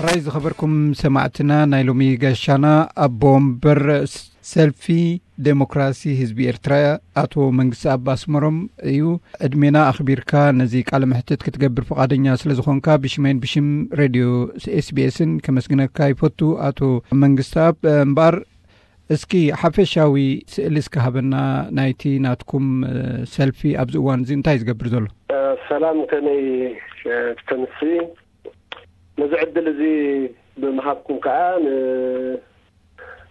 ራይ ዝኸበርኩም ሰማዕትና፣ ናይ ሎሚ ጋሻና ኣቦ ወንበር ሰልፊ ዴሞክራሲ ህዝቢ ኤርትራ ኣቶ መንግስቲ ኣብ ኣስመሮም እዩ። ዕድሜና ኣኽቢርካ ነዚ ቃለ መሕትት ክትገብር ፍቓደኛ ስለ ዝኾንካ ብሽመይን ብሽም ሬድዮ ኤስቢኤስን ከመስግነካ ይፈቱ ኣቶ መንግስቲ ኣብ። እምበኣር እስኪ ሓፈሻዊ ስእሊ እስኪ ሃበና ናይቲ ናትኩም ሰልፊ ኣብዚ እዋን እዚ እንታይ ዝገብር ዘሎ? ሰላም፣ ከመይ ተምሲ? ነዚ ዕድል እዚ ብምሃብኩም ከዓ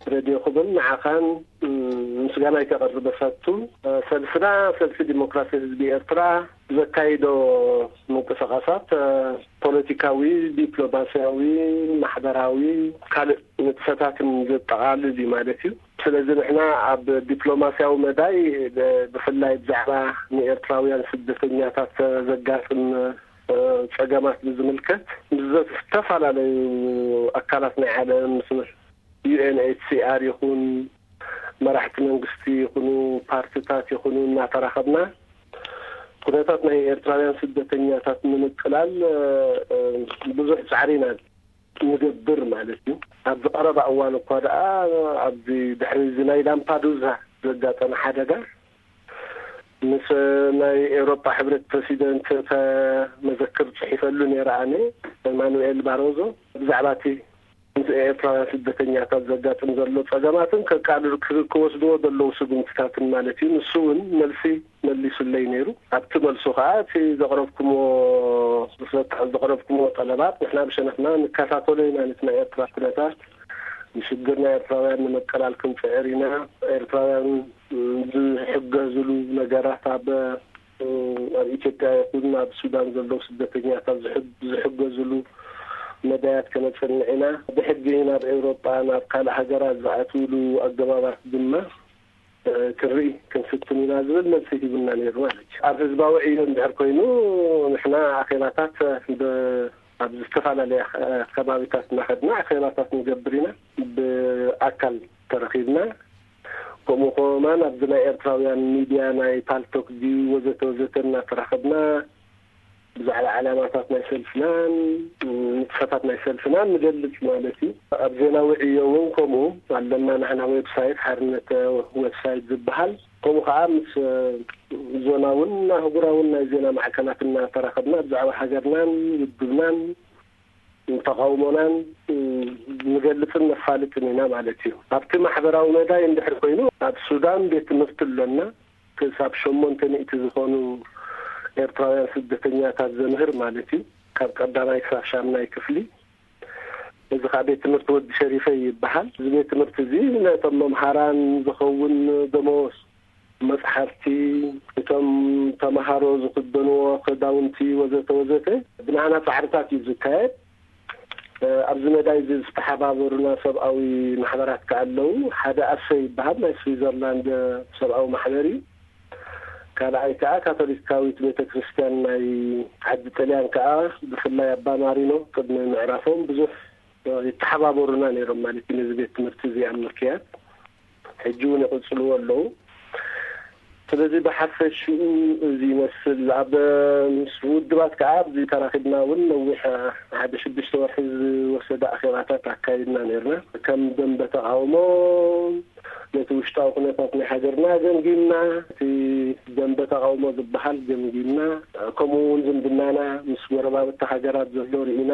ንሬድዮኹምን ንዓኻን ምስጋናይ ከቕርብ እፈቱ። ሰልፍና፣ ሰልፊ ዲሞክራሲ ህዝቢ ኤርትራ፣ ዘካይዶ ምንቅስቓሳት ፖለቲካዊ፣ ዲፕሎማስያዊ፣ ማሕበራዊ፣ ካልእ ንጥፈታትን ዘጠቓልል እዩ ማለት እዩ። ስለዚ ንሕና ኣብ ዲፕሎማስያዊ መዳይ፣ ብፍላይ ብዛዕባ ንኤርትራውያን ስደተኛታት ዘጋጥም ጸገማት ብዝምልከት ምስ ዝተፈላለዩ ኣካላት ናይ ዓለም፣ ምስ ዩኤንኤችሲኣር ይኹን፣ መራሕቲ መንግስቲ ይኹኑ፣ ፓርቲታት ይኹኑ እናተራኸብና፣ ኩነታት ናይ ኤርትራውያን ስደተኛታት ንምቅላል ብዙሕ ጻዕሪ ኢና ንገብር ማለት እዩ። ኣብዚ ቀረባ እዋን እኳ ደኣ፣ ኣብዚ ድሕሪ እዚ ናይ ላምፓዱዛ ዘጋጠመ ሓደጋ፣ ምስ ናይ ኤውሮጳ ሕብረት ፕረሲደንት እተ መዘክር ጽሒፈሉ ነይረ ኣነ፣ ኤማኑኤል ባሮዞ፣ ብዛዕባ እቲ ምስ ኤርትራውያን ስደተኛታት ዘጋጥም ዘሎ ጸገማትን ከቃልሉ ክወስድዎ ዘለዉ ስጉምትታትን ማለት እዩ። ንሱ እውን መልሲ መሊሱለይ ነይሩ። ኣብቲ መልሱ ከኣ እቲ ዘቕረብኩምዎ፣ ዘቕረብኩምዎ ጠለባት ንሕና ብሸነኽና ንከታተሎ ኢና። ነቲ ናይ ኤርትራ ኩነታት፣ ንሽግር ናይ ኤርትራውያን ንምቅላል ክንጽዕር ኢና። ኤርትራውያን ዝሕገዝሉ ነገራት ኣብ ኣብ ኢትዮጵያ ይኹን ኣብ ሱዳን ዘለዉ ስደተኛታት ዝሕግ-፣ ዝሕገዝሉ መዳያት ከነጽንዕ ኢና። ብሕጊ ናብ ኤውሮጳ፣ ናብ ካልእ ሃገራት ዝኣትውሉ ኣገባባት ድማ ክንርኢ ክንፍትን ኢና ዝብል መልሲ ሂቡና ነይሩ ማለት እዩ። ኣብ ህዝባዊ ዕዮ እንድሕር ኮይኑ፣ ንሕና ኣኼባታት ብ-፣ ኣብ ዝተፈላለያ ከባቢታት እናኸድና ኣኼባታት ንገብር ኢና። ብኣካል ተረኺብና፣ ከምኡ ከማን ኣብዚ ናይ ኤርትራውያን ሚድያ፣ ናይ ፓልቶክ ድዩ ወዘተ ወዘተ እናተራኸብና ብዛዕባ ዕላማታት ናይ ሰልፍናን ንጥፈታት ናይ ሰልፍናን ንገልጽ ማለት እዩ። ኣብ ዜናዊ ዕዮ እውን ከምኡ ኣለና። ንሕና ዌብሳይት ሓርነት ዌብሳይት ዝበሃል፣ ከምኡ ከዓ ምስ ዞናውን ኣህጉራውን ናይ ዜና ማዕከናት እናተራኸብና ብዛዕባ ሃገርናን ውድብናን ተቓውሞናን ንገልጽን ነፋልጥን ኢና ማለት እዩ። ኣብቲ ማሕበራዊ መዳይ እንድሕር ኮይኑ፣ ኣብ ሱዳን ቤት ትምህርቲ ኣሎና። ክሳብ ሸሞንተ ሚእቲ ዝኾኑ ኤርትራውያን ስደተኛታት ዘምህር ማለት እዩ፣ ካብ ቀዳማይ ክሳብ ሻምናይ ክፍሊ። እዚ ኸዓ ቤት ትምህርቲ ወዲ ሸሪፈ ይበሃል። እዚ ቤት ትምህርቲ እዚ ነቶም መምሃራን ዝኸውን ደመወዝ፣ መጽሓፍቲ፣ እቶም ተመሃሮ ዝኽደንዎ ክዳውንቲ ወዘተ ወዘተ ብናህና ጻዕርታት እዩ ዝካየድ። እ፣ ኣብዚ መዳይ እዚ ዝተሓባበሩና ሰብኣዊ ማሕበራት ከኣ ኣለዉ። ሓደ ኣሰ ይበሃል፣ ናይ ስዊዘርላንድ ሰብኣዊ ማሕበር እዩ። ካልኣይ ከኣ ካቶሊካዊት ቤተ ክርስቲያን ናይ ዓዲ ጥልያን ከኣ፣ ብፍላይ ኣባ ማሪኖ ቅድሚ ምዕራፎም ብዙሕ ይተሓባበሩና ነይሮም ማለት እዩ፣ ነዚ ቤት ትምህርቲ እዚ ኣብ ምክያድ። ሕጂ እውን ይቕጽልዎ ኣለዉ። ስለዚ ብሓፈሽኡ እዚ ይመስል። ኣብ ምስ ውድባት ከኣ ኣብዚ ተራኺብና እውን ነዊሕ፣ ሓደ ሽዱሽተ ወርሒ ዝወሰደ ኣኼባታት ኣካይድና ነይርና። ከም ደንበ ተቓውሞ ነቲ ውሽጣዊ ኩነታት ናይ ሃገርና ገምጊምና፣ እቲ ደንበ ተቓውሞ ዝበሃል ገምጊምና፣ ከምኡ እውን ዝምድናና ምስ ጎረባብቲ ሃገራት ዘሎ ርኢና።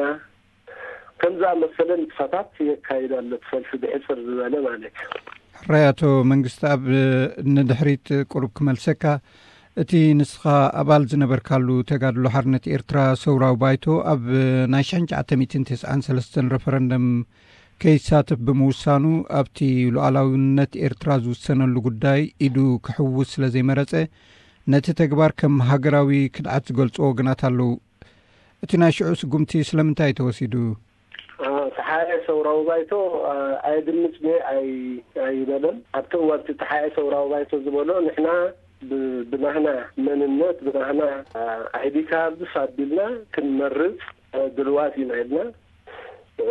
ከም ዝኣመሰለ ንጥፈታት የካይድ ኣሎ፣ እቲ ሰልፊ ብሕጽር ዝበለ ማለት እዩ። ሕራይ ኣቶ መንግስቲ ኣብ ንድሕሪት ቁሩብ ክመልሰካ፣ እቲ ንስኻ ኣባል ዝነበርካሉ ተጋድሎ ሓርነት ኤርትራ ሰውራዊ ባይቶ ኣብ ናይ ሽሕን ትሽዓተ ሚእትን ተስዓን ሰለስተን ረፈረንደም ከይሳተፍ ብምውሳኑ ኣብቲ ሉዓላውነት ኤርትራ ዝውሰነሉ ጉዳይ ኢዱ ክሕውስ ስለ ዘይመረጸ ነቲ ተግባር ከም ሃገራዊ ክድዓት ዝገልጹ ወገናት ኣለዉ። እቲ ናይ ሽዑ ስጉምቲ ስለምንታይ ተወሲዱ? አ፣ ተሓኤ ሰውራዊ ባይቶ፣ አ፣ ኣየድምጽ እየ ኣይ-፣ ኣይበለን። ኣብቲ እዋን እቲ ተሓኤ ሰውራዊ ባይቶ ዝበሎ ንሕና ብ-፣ ብናህና መንነት፣ ብናህና፣ አ፣ ኣይዲ ካርድስ ኣቢልና ክንመርጽ፣ አ፣ ድልዋት ኢና ኢልና።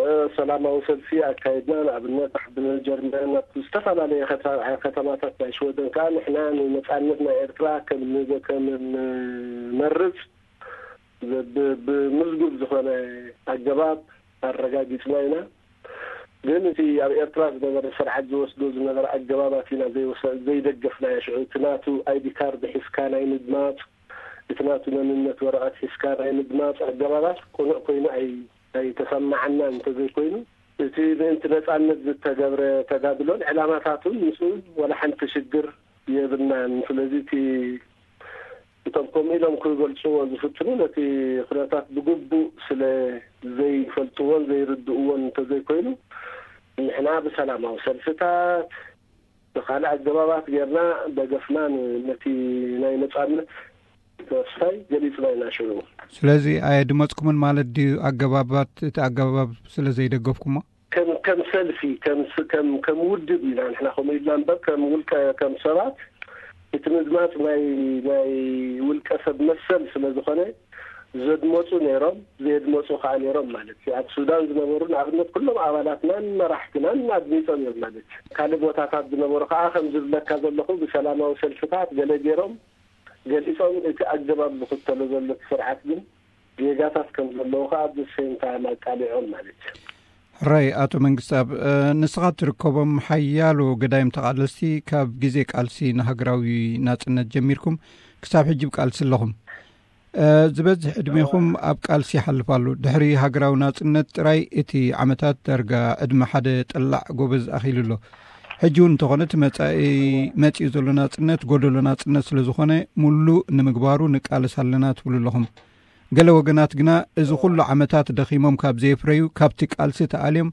አ፣ ሰላማዊ ሰልፊ ኣካይድና። ንኣብነት ኣብ ጀርመን፣ ኣብ ዝተፈላለየ ከተ-፣ ከተማታት ናይ ሽወደን ከኣ ንሕና ንነጻነት ናይ ኤርትራ ከም ንበ-፣ ከም ንመርጽ ብ-፣ ብ-፣ ብምዝጉብ ዝኾነ ኣገባብ ኣረጋጊጽና ኢና። ግን እቲ ኣብ ኤርትራ ዝነበረ ስርዓት ዝወስዶ ዝነበረ ኣገባባት ኢና ዘይወሰ-፣ ዘይደገፍናዮ። ሽዑ እቲ ናቱ ኣይዲ ካርድ ሒዝካ ናይ ምድማጽ፣ እቲ ናቱ መንነት ወረቐት ሒዝካ ናይ ምድማጽ ኣገባባት ቅኑዕ ኮይኑ ኣይ-፣ ኣይተሰማዓናን እንተዘይኮይኑ፣ እቲ ምእንቲ ነጻነት ዝተገብረ ተጋድሎን ዕላማታቱን ምስኡ ዋላ ሓንቲ ሽግር የብልናን። ስለዚ እቲ እቶም ከምኡ ኢሎም ክገልጽዎ ዝፍትኑ ነቲ ኩነታት ብግቡእ ስለ ዘይፈልጥዎን ዘይርድእዎን እንተዘይኮይኑ፣ ንሕና ብሰላማዊ ሰልፍታት፣ ብኻልእ ኣገባባት ጌርና ደገፍና ን-፣ ነቲ ናይ ነጻነት ተስፋይ ገሊጽና ኢና ሽዑ። ስለዚ ኣየድመጽኩምን ማለት ድዩ? ኣገባባት፣ እቲ ኣገባብ ስለ ዘይደገፍኩሞ? ከም፣ ከም ሰልፊ፣ ከም ስ-፣ ከም፣ ከም ውድብ ኢና ንሕና ከምኡ ኢልና እምበር፣ ከም ውልቀ፣ ከም ሰባት እቲ ምድማጽ ናይ፣ ናይ ውልቀ ሰብ መሰል ስለ ዝኾነ፣ ዘድመጹ ነይሮም፣ ዘየድመጹ ከኣ ነይሮም ማለት እዩ። ኣብ ሱዳን ዝነበሩ ንኣብነት ኩሎም ኣባላትናን መራሕትናን ኣድሚጾም እዮም ማለት እዩ። ካልእ ቦታታት ዝነበሩ ከኣ ከም ዝብለካ ዘለኹ ብሰላማዊ ሰልፍታት ገለ ገይሮም ገሊጾም፣ እቲ ኣገባብ ዝኽተሎ ዘሎ እቲ ስርዓት ግን ጌጋታት ከም ዘለዎ ከኣ ብሰንካ ኣቃሊዖም ማለት እዩ። ሕራይ ኣቶ መንግስትኣብ፣ እ፣ ንስኻ ትርከቦም ሓያሎ ገዳይም ተቓለስቲ ካብ ግዜ ቃልሲ ንሃገራዊ ናጽነት ጀሚርኩም ክሳብ ሕጂ ብ ቃልሲ ኣለኹም። እ፣ ዝበዝሕ ዕድሜኹም ኣብ ቃልሲ ይሓልፍ ኣሎ። ድሕሪ ሃገራዊ ናጽነት ጥራይ እቲ ዓመታት ዳርጋ ዕድመ ሓደ ጠላዕ ጎበዝ ኣኺሉ ኣሎ። ሕጂ እውን እንተኾነ እቲ መጻኢ መጺኡ ዘሎ ናጽነት ጎደሎ ናጽነት ስለ ዝኾነ፣ ሙሉእ ንምግባሩ ንቃለስ ኣለና ትብሉ ኣለኹም። ገለ ወገናት ግና እዚ ኩሉ ዓመታት ደኺሞም ካብ ዘየፍረዩ፣ ካብቲ ቃልሲ ተኣልዮም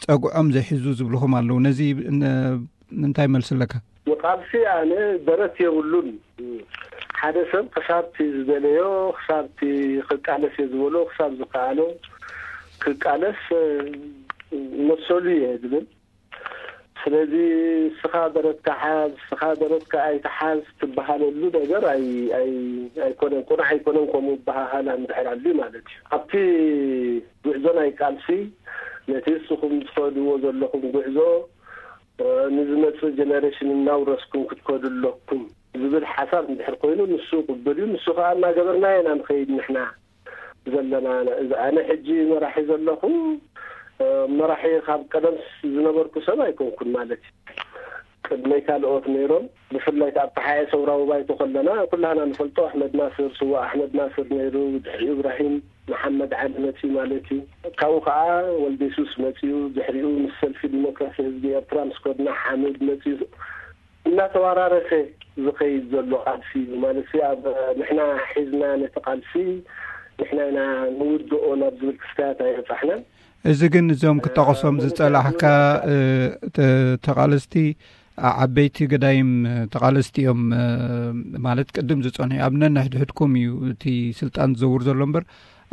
ጸግዖም ዘይሕዙ ዝብልኹም ኣለዉ። ነዚ ን-፣ እንታይ መልሲ ኣለካ? ንቃልሲ ኣነ ደረት የብሉን። ሓደ ሰብ ክሳብቲ ዝደለዮ፣ ክሳብቲ ክቃለስ እየ ዝበሎ፣ ክሳብ ዝከኣሎ ክቃለስ፣ እ፣ መሰሉ እየ ዝብል። ስለዚ እስኻ ደረትካ ሓዝ፣ እስኻ ደረትካ ኣይትሓዝ ትበሃለሉ ነገር ኣይ-፣ ኣይ-፣ ኣይኮነን፣ ቁኑዕ ኣይኮነን ከምኡ በሃሃላ እንድሕር ኣልዩ ማለት እዩ። ኣብቲ ጉዕዞ ናይ ቃልሲ ነቲ እስኹም ትኸድዎ ዘለኹም ጉዕዞ፣ እ፣ ንዝመጽእ ጀነሬሽን እናውረስኩም ክትከዱ ኣለኩም ዝብል ሓሳብ እንድሕር ኮይኑ ንሱ ቅቡል እዩ። ንሱ ከኣ እናገበርናዮ ኢና ንኸይድ ንሕና ዘለና። እዚ ኣነ ሕጂ መራሒ ዘለኹ፣ እ፣ መራሒ ካብ ቀደም ዝነበርኩ ሰብ ኣይኮንኩን ማለት እዩ። ቅድመይ ካልኦት ነይሮም። ብፍላይ ኣብ ተሓኤ ሰውራዊ ባይቶ ከለና ኩላህና ንፈልጦ ኣሕመድ ናስር፣ ስዋ ኣሕመድ ናስር ነይሩ፣ ድሕሪኡ እብራሂም መሓመድ ዓሊ መጺኡ ማለት እዩ። ካብኡ ከኣ ወልደ የሱስ መጺኡ፣ ድሕሪኡ ምስ ሰልፊ ዲሞክራሲ ህዝቢ ኤርትራ ምስ ኮድና ሓምድ መጺኡ። እናተወራረሰ ዝኸይድ ዘሎ ቃልሲ እዩ ማለት እዩ። ኣብ ንሕና ሒዝና ነቲ ቃልሲ ንሕና ኢና ንውድኦ ናብ ዝብል ክስታያት ኣይበጻሕናን። እዚ ግን እዞም ክጠቐሶም እ፣ ዝጸላሕካ፣ እ፣ ተ-፣ ተቓለስቲ ዓ-፣ ዓበይቲ ገዳይም ተቓለስቲ እዮም፣ እ፣ ማለት ቅድም ዝጸንሑ ኣብ ነንሕድሕድኩም እዩ እቲ ስልጣን ዝዘውር ዘሎ እምበር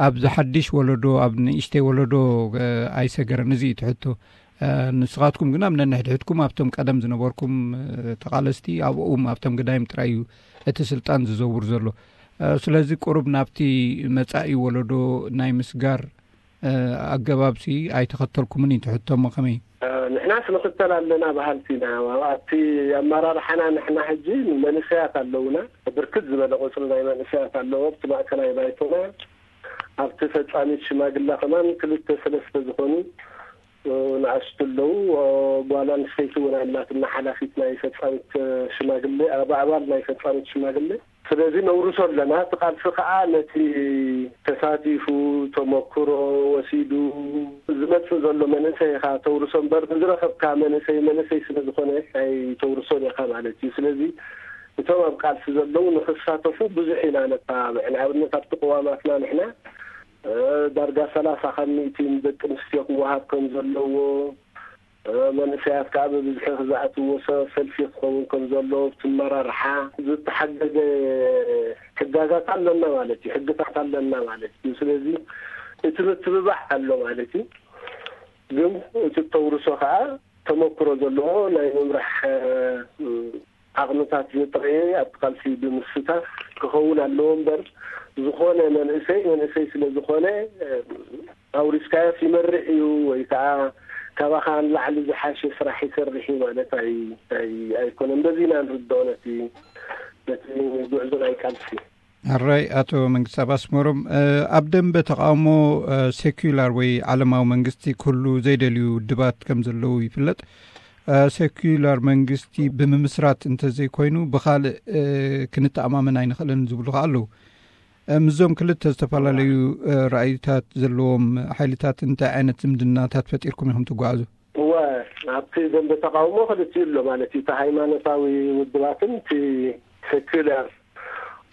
ኣብዚ ሓድሽ ወለዶ፣ ኣብ ንእሽተይ ወለዶ፣ እ፣ ኣይሰገረን። እዚ እዩ እቲ ሕቶ። እ፣ ንስኻትኩም ግን ኣብ ነንሕድሕድኩም ኣብቶም ቀደም ዝነበርኩም፣ እ፣ ተቓለስቲ ኣብኦም ኣብቶም ገዳይም ጥራይ እዩ እቲ ስልጣን ዝዘውር ዘሎ። እ፣ ስለዚ ቁሩብ ናብቲ መጻኢ ወለዶ ናይ ምስጋር፣ እ፣ ኣገባብሲ ኣይተኸተልኩምን እዩ እቲ ሕቶ። እሞ ከመይ? እ፣ ንሕናስ ንኽተል ኣለና በሃልቲ ኢና። ኣብቲ ኣመራርሓና ንሕና ሕጂ መንእሰያት ኣለውና። ብርክት ዝበለ ቁጽሪ ናይ መንእሰያት ኣለዎ ኣብቲ ማእከላይ ባይቶና። ኣብቲ ፈጻሚት ሽማግለ ከማን ክልተ ሰለስተ ዝኾኑ፣ እ፣ ንኣሽቱ ኣለዉ። እ፣ ጓል ኣንስተይቲ እውን ኣላትና፣ ሓላፊት ናይ ፈጻሚት፣ እ፣ ሽማግለ፣ ኣብ ኣባል ናይ ፈጻሚት ሽማግለ። ስለዚ ነውርሶ ኣለና። እቲ ቃልሲ ከኣ ነቲ ተሳቲፉ፣ ተመክሮ ወሲዱ ዝመጽእ ዘሎ መንእሰይ ኢኻ ተውርሶ እምበር፣ ንዝረኸብካ መንእሰይ፣ መንእሰይ ስለ ዝኾነ ኣይተውርሶን ኢኻ ማለት እዩ። ስለዚ እቶም ኣብ ቃልሲ ዘለዉ ንኽሳተፉ ብዙሕ ኢና ነተባብዕ። ንኣብነት ኣብቲ ቅዋማትና ንሕና፣ እ፣ ዳርጋ ሰላሳ ካብ ሚእቲ ንደቂ ኣንስትዮ ክወሃብ ከም ዘለዎ፣ እ፣ መንእሰያት ከኣ ብብዝሒ ክዝኣትዎ ሰ-፣ ሰልፊ ክኸውን ከም ዘለዎ ኣብቲ ኣመራርሓ ዝተሓገገ ሕጋጋት ኣለና ማለት እዩ፣ ሕግታት ኣለና ማለት እዩ። ስለዚ እቲ ምትብባዕ ኣሎ ማለት እዩ። ግን እቲ ተውርሶ ከኣ ተመክሮ ዘለዎ ናይ ምምራሕ፣ እ፣ ዓቕምታት ዘጥረየ ኣብቲ ቃልሲ ብምስታፍ ክኸውን ኣለዎ እምበር፣ ዝኾነ መንእሰይ መንእሰይ ስለ ዝኾነ፣ እ፣ ኣውሪስካዮስ ይመርሕ እዩ ወይ ከዓ ካባኻ ንላዕሊ ዝሓሸ ስራሕ ይሰርሕ እዩ ማለት ኣይ-፣ ኣይ-፣ ኣይኮነን። በዚ ኢና ንርድኦ ነቲ፣ ነቲ ጉዕዞ ናይ ቃልሲ። ሕራይ ኣቶ መንግስቲ ኣብ ኣስመሮም፣ ኣብ ደንበ ተቃውሞ ሴኩላር ወይ ዓለማዊ መንግስቲ ክህሉ ዘይደልዩ ውድባት ከም ዘለዉ ይፍለጥ። ሴኩላር መንግስቲ ብምምስራት እንተዘይኮይኑ ብካልእ ክንተኣማመን ኣይንኽእልን ዝብሉ ከኣ ኣለዉ። ምስዞም ክልተ ዝተፈላለዩ ራእይታት ዘለዎም ሓይልታት እንታይ ዓይነት ዝምድናታት ፈጢርኩም ኢኹም ትጓዓዙ? እወ፣ ኣብቲ ደንበ ተቃውሞ ክልቲኡ ኣሎ ማለት እዩ። እቲ ሃይማኖታዊ ውድባትን እቲ ሴኩላር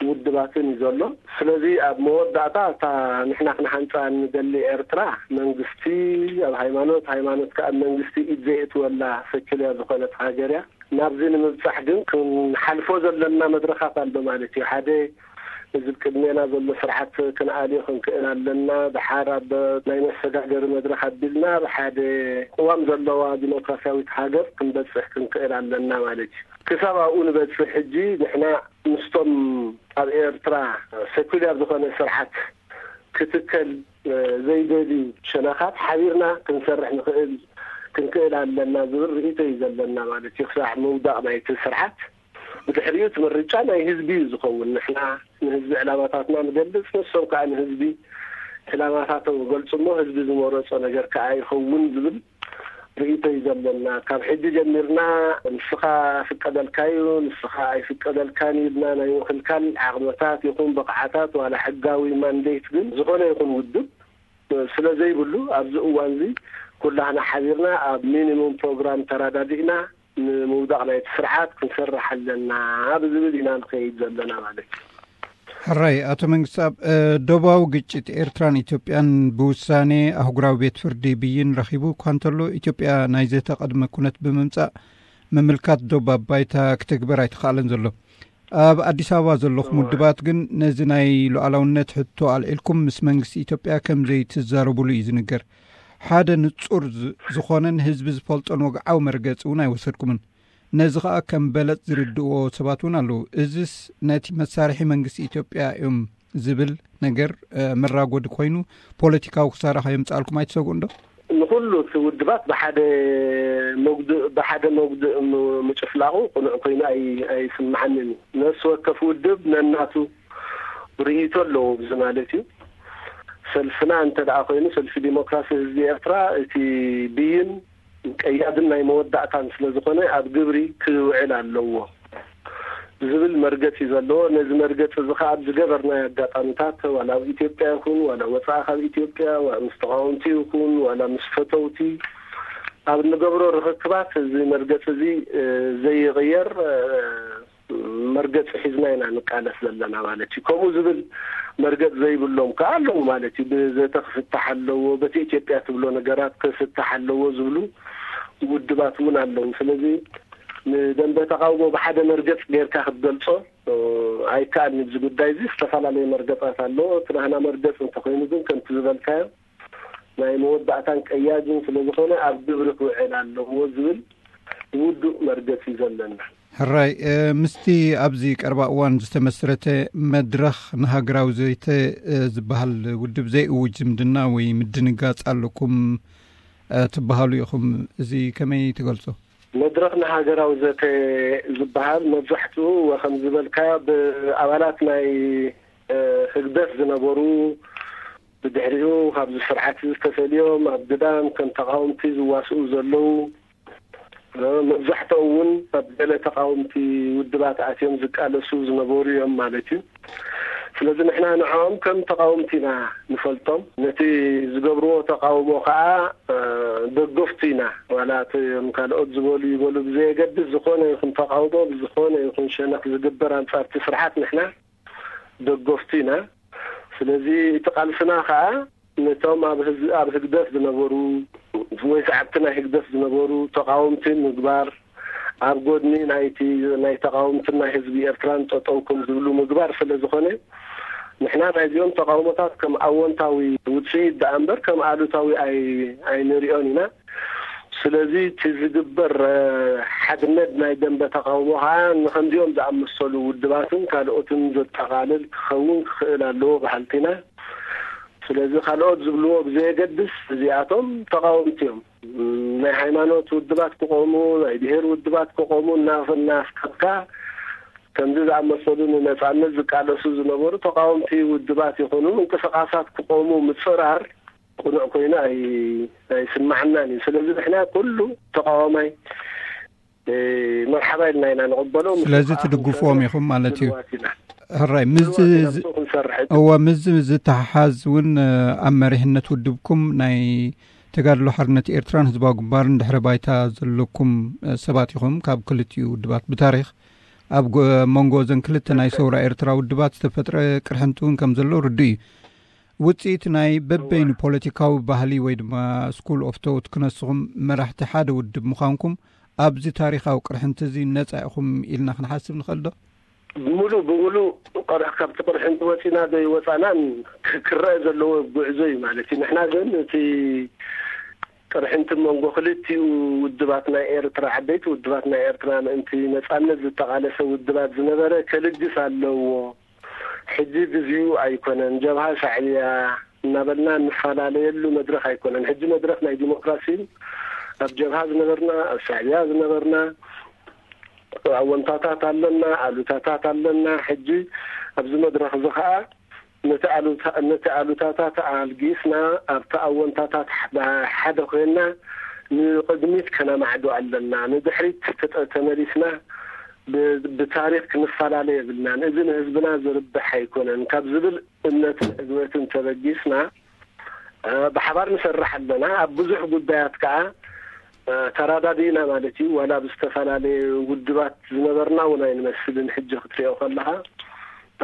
ውድባትን እዩ ዘሎ። ስለዚ ኣብ መወዳእታ እታ ንሕና ክንሃንፃ ንደሊ ኤርትራ መንግስቲ ኣብ ሃይማኖት፣ ሃይማኖት ከዓ ኣብ መንግስቲ ኢድ ዘየእትወላ ሴኩላር ዝኾነት ሃገር እያ። ናብዚ ንምብፃሕ ግን ክንሓልፎ ዘለና መድረኻት ኣሎ ማለት እዩ። ሓደ እዚ ቅድሜና ዘሎ ስርዓት ክንኣልዮ ክንክእል ኣለና። ድሓር ኣብ ናይ መሰጋገሪ መድረኽ ኣቢልና ኣብ ሓደ ቅዋም ዘለዋ ዲሞክራሲያዊት ሃገር ክንበፅሕ ክንክእል ኣለና ማለት እዩ። ክሳብ ኣብኡ ንበፅሕ ሕጂ ንሕና ምስቶም ኣብ ኤርትራ ሴኩላር ዝኾነ ስርዓት ክትከል ዘይደልዩ ሸነኻት ሓቢርና ክንሰርሕ ንኽእል ክንክእል ኣለና ዝብል ርእይቶ እዩ ዘለና ማለት እዩ። ክሳዕ ምውዳቕ ናይቲ ስርዓት ብድሕሪኡ እቲ ምርጫ ናይ ህዝቢ እዩ ዝኸውን። ንሕና ንህዝቢ ዕላማታትና ንገልጽ፣ ንሶም ከዓ ንህዝቢ ዕላማታቶም ይገልጹ እሞ ህዝቢ ዝመረጾ ነገር ከዓ ይኸውን ዝብል ርእይቶ እዩ ዘለና። ካብ ሕጂ ጀሚርና ንስኻ ፍቀደልካ እዩ፣ ንስኻ ኣይፍቀደልካን እዩ ኢልና ናይ ምኽልካል ዓቕምታት ይኹን ብቕዓታት ዋላ ሕጋዊ ማንዴት ግን ዝኾነ ይኹን ውድብ ስለ ዘይብሉ ኣብዚ እዋን እዚ ኩላህና ሓቢርና ኣብ ሚኒሙም ፕሮግራም ተረዳዲእና ንምውዳቕ ናይቲ ስርዓት ክንሰርሕ ኣለና ብዝብል ኢና ንኸይድ ዘለና ማለት እዩ። ሕራይ ኣቶ መንግስቲ ኣብ ደቡባዊ ግጭት ኤርትራን ኢትዮጵያን ብውሳኔ ኣህጉራዊ ቤት ፍርዲ ብይን ረኺቡ እኳ እንተሎ ኢትዮጵያ ናይ ዘተቐድመ ኩነት ብምምጻእ ምምልካት ዶብ ኣብ ባይታ ክትግበር ኣይተኻእለን ዘሎ። ኣብ ኣዲስ ኣበባ ዘለኹም ውድባት ግን ነዚ ናይ ሉዓላውነት ሕቶ ኣልዒልኩም ምስ መንግስቲ ኢትዮጵያ ከም ዘይትዛረቡሉ እዩ ዝንገር። ሓደ ንጹር ዝ- ዝኾነን ህዝቢ ዝፈልጦን ወግዓዊ መርገጺ እውን ኣይወሰድኩምን። ነዚ ኸኣ ከም በለጽ ዝርድእዎ ሰባት እውን ኣለዉ። እዝስ ነቲ መሳርሒ መንግስቲ ኢትዮጵያ እዮም ዝብል ነገር መራጎዲ ኮይኑ ፖለቲካዊ ክሳራ ከየምጻልኩም ኣይትሰግኡ እንዶ? ንኩሉ እቲ ውድባት ብሓደ መጉድእ ብሓደ መጉድእ ምጭፍላቑ ቅኑዕ ኮይኑ ኣይስምዓንን እዩ። ነፍሲ ወከፍ ውድብ ነናቱ ርእይቶ ኣለዎ። እዚ ማለት እዩ ሰልፍና እንተ ደኣ ኮይኑ ሰልፊ ዲሞክራሲ ህዝቢ ኤርትራ እቲ ብይን ቀያድን ናይ መወዳእታን ስለ ዝኾነ ኣብ ግብሪ ክውዕል ኣለዎ ዝብል መርገፂ ዘለዎ። ነዚ መርገፂ እዚ ከዓ ኣብ ዝገበርናዮ ኣጋጣሚታት ዋላ ኣብ ኢትዮጵያ ይኹን ዋላ ወፃኢ ካብ ኢትዮጵያ ምስ ተቃወምቲ ይኹን ዋላ ምስ ፈተውቲ ኣብ እንገብሮ ርኽክባት እዚ መርገፂ እዚ ዘይቕየር መርገፂ ሒዝና ኢና ንቃለስ ዘለና ማለት እዩ። ከምኡ ዝብል መርገፂ ዘይብሎም ከዓ ኣለዉ ማለት እዩ። ብዘተ ክፍታሕ ኣለዎ፣ በቲ ኢትዮጵያ ትብሎ ነገራት ክፍታሕ ኣለዎ ዝብሉ ውድባት እውን ኣለዉ። ስለዚ ንደንበ ተቃውሞ ብሓደ መርገፂ ጌርካ ክትገልፆ ኣይከኣልን። እዚ ጉዳይ እዚ ዝተፈላለየ መርገፃት ኣለዎ። እቲ ናህና መርገፂ እንተኮይኑ ግን ከምቲ ዝበልካዮ ናይ መወዳእታን ቀያድን ስለ ዝኾነ ኣብ ግብሪ ክውዕል ኣለዎ ዝብል ውዱእ መርገፂ እዩ ዘለና። ሕራይ ምስቲ ኣብዚ ቀረባ እዋን ዝተመስረተ መድረኽ ንሃገራዊ ዘተ ዝበሃል ውድብ ዘይእውጅ ዝምድና ወይ ምድንጋፅ ኣለኩም ትበሃሉ ኢኹም። እዚ ከመይ ትገልጾ? መድረኽ ንሃገራዊ ዘተ ዝበሃል መብዛሕትኡ ወከም ዝበልካ ብኣባላት ናይ ህግደፍ ዝነበሩ ብድሕሪኡ ካብዚ ስርዓት እዚ ተፈልዮም ኣብ ግዳም ከም ተቃወምቲ ዝዋስኡ ዘለዉ መብዛሕትኦም እውን ኣብ ገለ ተቃወምቲ ውድባት ኣትዮም ዝቃለሱ ዝነበሩ እዮም ማለት እዩ። ስለዚ ንሕና ንዕኦም ከም ተቃወምቲ ኢና ንፈልጦም። ነቲ ዝገብርዎ ተቃውሞ ከዓ ደገፍቱ ኢና። ዋላ እቶም ካልኦት ዝበሉ ይበሉ ብዘየገድስ ዝኾነ ይኹን ተቃውሞ ብዝኾነ ይኹን ሸነኽ ዝግበር ኣንጻርቲ ስርዓት ንሕና ደገፍቱ ኢና። ስለዚ እቲ ቃልስና ከዓ ነቶም ኣብ ህግደፍ ዝነበሩ ወይ ሰዓብቲ ናይ ህግደፍ ዝነበሩ ተቃወምቲ ምግባር ኣብ ጎድኒ ናይቲ ናይ ተቃወምትን ናይ ህዝቢ ኤርትራን ጠጠው ከም ዝብሉ ምግባር ስለ ዝኾነ ንሕና ናይዚኦም ተቃውሞታት ከም ኣወንታዊ ውፅኢት ደኣ እምበር ከም ኣሉታዊ ኣይንሪኦን ኢና። ስለዚ እቲ ዝግበር ሓድነት ናይ ደንበ ተቃውሞ ከዓ ንከምዚኦም ዝኣመሰሉ ውድባትን ካልኦትን ዘጠቃልል ክኸውን ክኽእል ኣለዎ በሃልቲ ኢና። ስለዚ ካልኦት ዝብልዎ ብዘየገድስ እዚኣቶም ተቃወምቲ እዮም። ናይ ሃይማኖት ውድባት ክቆሙ ናይ ብሄር ውድባት ክቆሙ እናፈናፍካ ከምዚ ዝኣመሰሉ ንነጻነት ዝቃለሱ ዝነበሩ ተቃወምቲ ውድባት ይኹኑ ምንቅስቃሳት ክቆሙ ምጽራር ቅኑዕ ኮይኑ ኣይ-፣ ኣይስማዓናን እዩ። ስለዚ ንሕና ኩሉ ተቃዋማይ፣ እ፣ መርሓባ ኢልና ኢና ንቕበሎ። ምስ ስለዚ ተቃወምቲ ትድግፍዎም ኢኹም ማለት እዩ። ድልዋት ኢና። ሕራይ፣ ምስዚ ድልዋት ኢና ዝ-፣ ምስኡ ክንሰርሕ። እወ፣ ምስዚ ዝተሓሓዝ እውን፣ እ፣ ኣብ መሪሕነት ውድብኩም ናይ ተጋድሎ ሓርነት ኤርትራን ህዝባዊ ግንባርን ድሕረ ባይታ ዘለኩም፣ እ፣ ሰባት ኢኹም። ካብ ክልቲኡ ውድባት ብታሪኽ ኣብ ጎ-፣ መንጎ እዘን ክልተ ናይ ሰውራ ኤርትራ ውድባት ዝተፈጥረ ቅርሕንቲ እውን ከም ዘሎ ርዱእ እዩ። ውጽኢት ናይ በበይኑ ፖለቲካዊ ባህሊ ወይ ድማ ስኩል ኦፍ ቶት ክነስኹም መራሕቲ ሓደ ውድብ ምዃንኩም ኣብዚ ታሪኻዊ ቅርሕንቲ እዚ ነጻ ኢኹም ኢልና ክንሓስብ ንኽእል ዶ? ሙሉ ብሙሉ ቅርሕ-፣ ካብቲ ቅርሕንቲ ወጺና ዶ ይወጻናን ክ-፣ ክረአ ዘለዎ ጉዕዞ እዩ ማለት እዩ። ንሕና ግን እቲ ቅርሕንቲ መንጎ ክልቲኡ ውድባት ናይ ኤርትራ፣ ዓበይቲ ውድባት ናይ ኤርትራ፣ ምእንቲ ነጻነት ዝተቓለሰ ውድባት ዝነበረ ከልግስ ኣለዎ። ሕጂ ግዜኡ ኣይኮነን። ጀብሃ ሻዕብያ እናበልና እንፈላለየሉ መድረኽ ኣይኮነን። ሕጂ መድረኽ ናይ ዲሞክራሲ፣ ኣብ ጀብሃ ዝነበርና፣ ኣብ ሻዕብያ ዝነበርና፣ ኣወንታታት ኣለና፣ ኣሉታታት ኣለና። ሕጂ ኣብዚ መድረኽ እዚ ኸኣ ነቲ ኣሉታ-፣ ነቲ ኣሉታታት ኣልጊስና፣ ኣብቲ ኣወንታታት ሓደ ኮይንና ንቕድሚት ከነማዕዶ ኣለና። ንድሕሪት ተጠ-፣ ተመሊስና ብ-፣ ብታሪኽ ክንፈላለ የብልናን። እዚ ንህዝብና ዝርብሕ ኣይኮነን ካብ ዝብል እምነትን ዕግበትን ተበጊስና፣ እ፣ ብሓባር ንሰርሕ ኣለና። ኣብ ብዙሕ ጉዳያት ከኣ፣ እ፣ ተራዳዲእና ማለት እዩ። ዋላ ኣብ ዝተፈላለየ ውድባት ዝነበርና እውን ኣይንመስልን። ሕጂ ክትሪኦ ከለኻ፣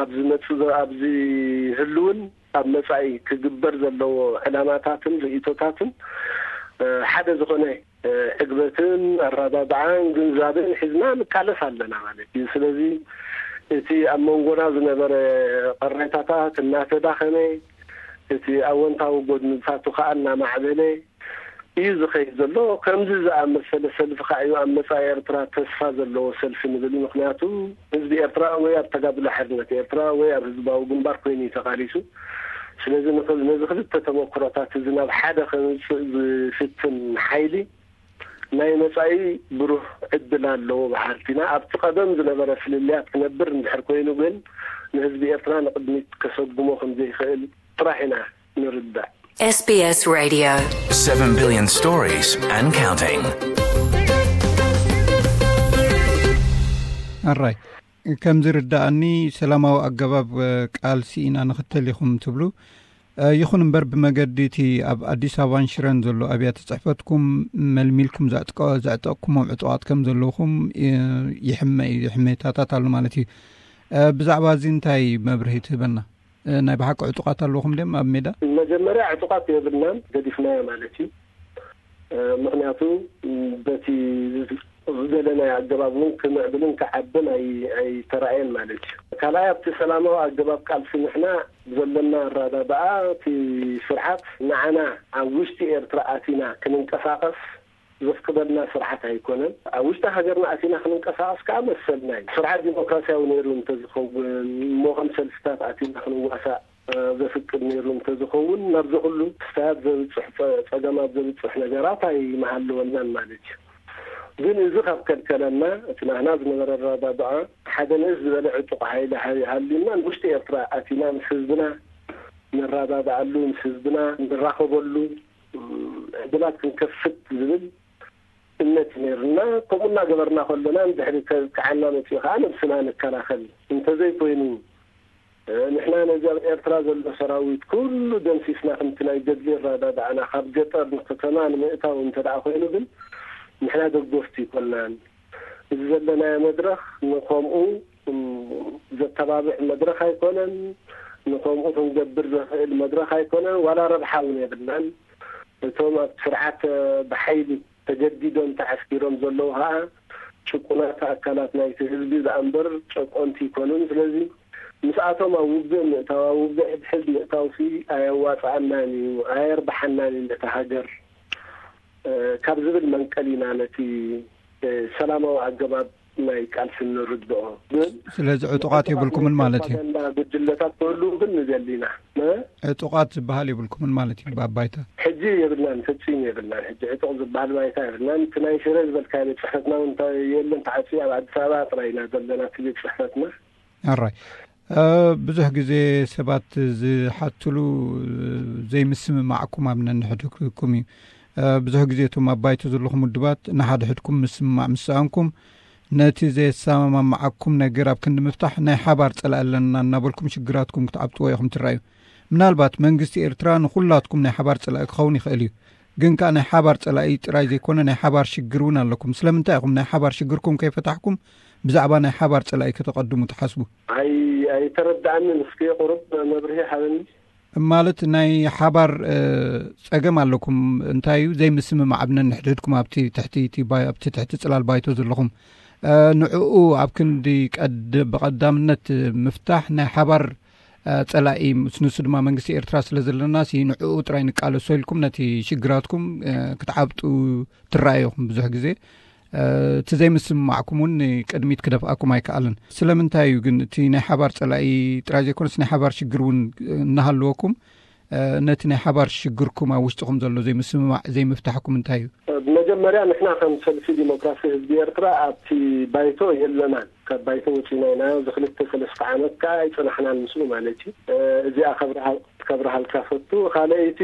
ኣብ ዝመጽእ ዘ-፣ ኣብ ዝህልውን ኣብ መጻኢ ክግበር ዘለዎ ዕላማታትን ርእይቶታትን፣ እ፣ ሓደ ዝኾነ፣ እ፣ ዕግበትን ኣረዳድኣን ግንዛበን ሒዝና ንቃለስ ኣለና ማለት እዩ። ስለዚ እቲ ኣብ መንጎና ዝነበረ ቅሬታታት እናተዳኸመ፣ እቲ ኣወንታዊ ጎድንታቱ ከኣ እናማዕበለ እዩ ዝኸይድ ዘሎ። ከምዚ ዝኣመሰለ ሰልፊ ከኣ እዩ ኣብ መጻኢ ኤርትራ ተስፋ ዘለዎ ሰልፊ ንብል። ምኽንያቱ ህዝቢ ኤርትራ ወይ ኣብ ተጋድሎ ሓርነት ኤርትራ ወይ ኣብ ህዝባዊ ግንባር ኮይኑ እዩ ተቓሊሱ። ስለዚ ንኽል-፣ ነዚ ክልተ ተመክሮታት እዚ ናብ ሓደ ከምጽእ ዝፍትን ሓይሊ ናይ መጻኢ ብሩህ ዕድል ኣለዎ በሃልቲ ኢና። ኣብቲ ቀደም ዝነበረ ፍልልያት ክነብር እንድሕር ኮይኑ ግን ንህዝቢ ኤርትራ ንቕድሚት ከሰጉሞ ከም ዘይኽእል ጥራሕ ኢና ንርዳእ። S B S Radio. Seven billion stories and counting. ኣራይ፣ ከም ዝርዳኣኒ ሰላማዊ ኣገባብ፣ እ፣ ቃልሲ ኢና ንኽተል ኢኹም ትብሉ። እ፣ ይኹን እምበር ብመገዲ እቲ ኣብ ኣዲስ ኣበባን ሽረን ዘሎ ኣብያተ ጽሕፈትኩም መልሚልኩም ዘዕጥቀ-፣ ዘዕጠቕኩሞም ዕጡቓት ከም ዘለውኹም፣ እ፣ ይሕመ እዩ፣ ሕሜታታት ኣሎ ማለት እዩ። እ፣ ብዛዕባ እዚ እንታይ መብርሂ ትህበና? እ፣ ናይ ብሓቂ ዕጡቓት ኣለውኹም ድዮም ኣብ ሜዳ? መጀመርያ ዕጡቓት የብልናን፣ ገዲፍናዮ ማለት እዩ። እ፣ ምኽንያቱ፣ ም፣ በቲ ዝደለናዮ ኣገባብ እውን ክምዕብልን ክዓብን ኣይ-፣ ኣይተራእየን ማለት እዩ። ካልኣይ፣ ኣብቲ ሰላማዊ ኣገባብ ቃልሲ ንሕና ብዘለና ኣረዳድኣ፣ እቲ ስርዓት ንዓና ኣብ ውሽጢ ኤርትራ ኣቲና ክንንቀሳቐስ ዘፍቅደልና ስርዓት ኣይኮነን። ኣብ ውሽጢ ሃገርና ኣቲና ክንንቀሳቐስ ከዓ መሰልና እዩ። ስርዓት ዲሞክራሲያዊ ነይሩ እንተዝኸውን፣ እሞ ከም ሰልፍታት ኣቲና ክንዋሳእ፣ እ፣ ዘፍቅድ ነይሩ እንተዝኸውን፣ ናብዚ ኩሉ ክስታያት ዘብጽሕ ጸ-፣ ጸገማት ዘብጽሕ ነገራት ኣይምሃለወናን ማለት እዩ። ግን እዚ ካብ ከልከለና፣ እቲ ናህና ዝነበረ ኣረዳድኣ፣ ሓደ ንእስ ዝበለ ዕጡቕ ሓይሊ ሃ-፣ ሃልዩና፣ ንውሽጢ ኤርትራ ኣቲና ምስ ህዝብና ንረዳድኣሉ፣ ምስ ህዝብና ንራኸበሉ፣ ም፣ ዕድላት ክንከፍት ዝብል እምነት ነይሩና። ከምኡ እናገበርና ከሎና፣ ንድሕሪ ከጥቅዓና መጺኡ ከኣ ነብስና ንከላኸል። እንተዘይኮይኑ፣ እ፣ ንሕና ነዚ ኣብ ኤርትራ ዘሎ ሰራዊት ኩሉ ደምሲስና፣ ከምቲ ናይ ገድሊ ኣረዳድኣና ካብ ገጠር ንከተማ ንምእታው እንተ ደኣ ኮይኑ ግን፣ ንሕና ደገፍቱ ኣይኮናን። እዚ ዘለናዮ መድረኽ ንኸምኡ፣ እም፣ ዘተባብዕ መድረኽ ኣይኮነን። ንኸምኡ ክንገብር ዘኽእል መድረኽ ኣይኮነን። ዋላ ረብሓ እውን የብልናን። እቶም ኣብ ስርዓት፣ እ፣ ብሓይሊ ተገዲዶም ተዓስኪሮም ዘለዉ ኸኣ ጭቁናት ኣካላት ናይቲ ህዝቢ ደኣ እምበር ጨቆንቲ ኣይኮኑን። ስለዚ ምስኣቶም ኣብ ውግእ ምእታው፣ ኣብ ውግእ ሕድሕድ ምእታውሲ ኣየዋጽኣናን እዩ፣ ኣየርብሓናን እዩ ነታ ሃገር፣ እ፣ ካብ ዝብል መንቀል ኢና ነቲ፣ እ፣ ሰላማዊ ኣገባብ ናይ ቃልሲ ንርድኦ። ግን ስለዚ ዕጡቓት የብልኩምን ማለት እዩ። ፕሮፓጋንዳ ጉጅለታት ክህልዉ ግን ንደሊ ኢና። እ? ዕጡቓት ዝበሃል የብልኩምን ማለት እዩ ብኣባይታ? ሕጂ የብልናን፣ ፍጹም የብልናን። ሕጂ ዕጡቕ ዝበሃል ባይታ የብልናን። እቲ ናይ ሽረ ዝበልካዮ ቤት ጽሕፈትና እውን እንታይ የለን፣ ተዓጽዩ ኣብ ኣዲስ ኣበባ ጥራይ ኢና ዘለና እቲ ቤት ጽሕፈትና። ኣራይ። እ፣ ብዙሕ ግዜ ሰባት ዝሓትሉ ዘይምስምማዕኩም ኣብ ነንሕድኩም እዩ። እ፣ ብዙሕ ግዜ እቶም ኣብ ባይቶ ዘለኹም ውድባት ንሓድሕድኩም ምስምማዕ ምስ ሰኣንኩም፣ ነቲ ዘየሰማማዓኩም ነገር ኣብ ክንዲ ምፍታሕ ናይ ሓባር ጸላኢ ኣለና እናበልኩም ሽግራትኩም ክትዓብጥዎ ኢኹም ትረኣዩ። ምናልባት መንግስቲ ኤርትራ ንኹላትኩም ናይ ሓባር ጸላኢ ክኸውን ይኽእል እዩ። ግን ከኣ ናይ ሓባር ጸላኢ ጥራይ ዘይኮነ ናይ ሓባር ሽግር እውን ኣለኩም። ስለምንታይ ኢኹም ናይ ሓባር ሽግርኩም ከይፈታሕኩም ብዛዕባ ናይ ሓባር ጸላኢ ከተቐድሙ ትሓስቡ? ኣይ-፣ ኣይተረድኣንን። እስኪ ቁሩብ መብርሂ ሃበኒ። ማለት ናይ ሓባር፣ እ፣ ጸገም ኣለኩም። እንታይ እዩ ዘይምስምማዕ ኣብ ነንሕድሕድኩም ኣብቲ ትሕቲ፣ እቲ ባይ-፣ ኣብቲ ትሕቲ ጽላል ባይቶ ዘለኹም? እ፣ ንዕኡ ኣብ ክንዲ ቀድ-፣ ብቐዳምነት ምፍታሕ ናይ ሓባር፣ እ፣ ጸላኢ ምስ ንሱ ድማ መንግስቲ ኤርትራ ስለ ዘለና ሲ ንዕኡ ጥራይ ንቃለሶ ኢልኩም ነቲ ሽግራትኩም፣ እ፣ ክትዓብጡ ትረኣዩኹም ብዙሕ ግዜ። እ፣ እቲ ዘይምስምማዕኩም እውን ንቅድሚት ክደፍኣኩም ኣይከኣልን። ስለምንታይ እዩ ግን እቲ ናይ ሓባር ጸላኢ ጥራይ ዘይኮነስ ናይ ሓባር ሽግር እውን እናሃለወኩም፣ እ፣ ነቲ ናይ ሓባር ሽግርኩም ኣብ ውሽጥኹም ዘሎ ዘይምስምማዕ ዘይምፍታሕኩም እንታይ እዩ? መጀመርያ ንሕና ከም ሰልፊ ዲሞክራሲ ህዝቢ ኤርትራ ኣብቲ ባይቶ የለናን። ካብ ባይቶ ወጺና ኢና። እዚ ክልተ ሰለስተ ዓመት ከኣ ኣይጸናሕናን ምስኡ ማለት እዩ። እ፣ እዚኣ ከብርሃል-፣ ከብርሃልካ ፈቱ። ካልኣይቲ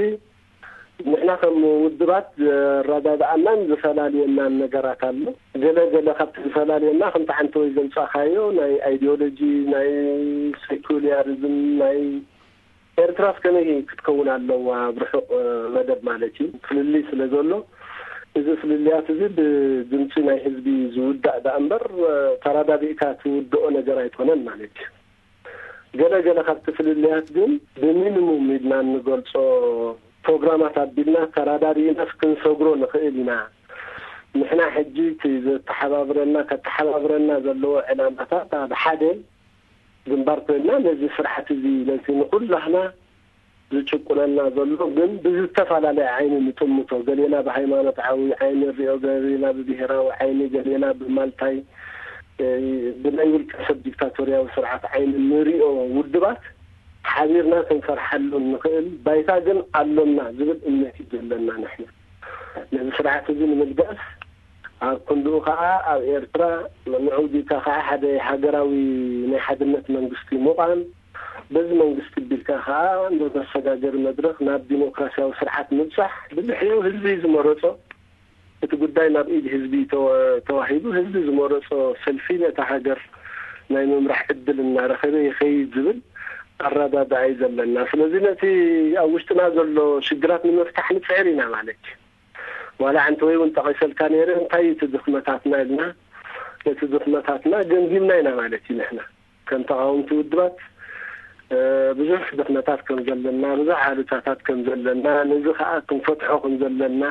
ንሕና ከም ውድባት ዘረዳድኣናን ዘፈላልየናን ነገራት ኣሎ። ገለ ገለ ካብቲ ዝፈላልየና ከምቲ ዓንተወይ ዘምጻኻዮ ናይ ኣይዲዮሎጂ፣ ናይ ሴኩላሪዝም፣ ናይ ኤርትራስ ከመይ ክትከውን ኣለዋ ኣብ ርሑቕ፣ እ፣ መደብ ማለት እዩ። ፍልልይ ስለ ዘሎ እዚ ፍልልያት እዚ ብድምጺ ናይ ህዝቢ ዝውዳእ ደኣ እምበር፣ እ፣ ተራዳዲእካ ትውድኦ ነገር ኣይኮነን ማለት እዩ። ገለ ገለ ካብቲ ፍልልያት ግን ብሚኒሙም ኢልና እንገልጾ ፕሮግራማት ኣቢልና ተራዳዲእናስ ክንሰግሮ ንኽእል ኢና። ንሕና ሕጂ እቲ ዘተሓባብረና፣ ከተሓባብረና ዘለዎ ዕላማታት ኣብ ሓደ ግንባር ኮይንና ነዚ ስርዓት እዚ፣ ነቲ ንኹላህና ዝጭቁነና ዘሎ ግን ብዝተፈላለየ ዓይኒ ንጥምቶ። ገሌና ብሃይማኖታዊ ዓይኒ ንሪኦ፣ ገሌና ብብሄራዊ ዓይኒ፣ ገሌና ብማልታይ፣ እ፣ ብናይ ውልቀ ሰብ ዲክታቶርያዊ ስርዓት ዓይኒ ንሪኦ ውድባት ሓቢርና ክንሰርሓሉ ንኽእል ባይታ ግን ኣሎና ዝብል እምነት እዩ ዘለና ንሕና። ነዚ ስርዓት እዚ ንምልጋስ ኣብ ክንድኡ ከኣ ኣብ ኤርትራ ንዑ ዲካ ከኣ ሓደ ሃገራዊ ናይ ሓድነት መንግስቲ ምዃን፣ በዚ መንግስቲ ቢልካ ከኣ ንመሰጋገሪ መድረኽ ናብ ዲሞክራሲያዊ ስርዓት ምብጻሕ፣ ብድሕሪኡ ህዝቢ ዝመረጾ፣ እቲ ጉዳይ ናብ ኢድ ህዝቢ ተወ-፣ ተዋሂቡ ህዝቢ ዝመረጾ ሰልፊ ነታ ሃገር ናይ ምምራሕ ዕድል እናረኸበ ይኸይድ ዝብል ኣረዳድኣ እዩ ዘለና። ስለዚ ነቲ ኣብ ውሽጥና ዘሎ ሽግራት ንምፍታሕ ንጽዕር ኢና ማለት እዩ። ዋላ ዓንተወይ እውን ጠቒሰልካ ነይረ፣ እንታይ እዩ እቲ ድኽመታትና ኢልና፣ ነቲ ድኽመታትና ገምጊምና ኢና ማለት እዩ። ንሕና ከም ተቓወምቲ ውድባት፣ እ፣ ብዙሕ ድኽመታት ከም ዘለና፣ ብዙሕ ኣሉታታት ከም ዘለና፣ ነዚ ከኣ ክንፈትሖ ከም ዘለና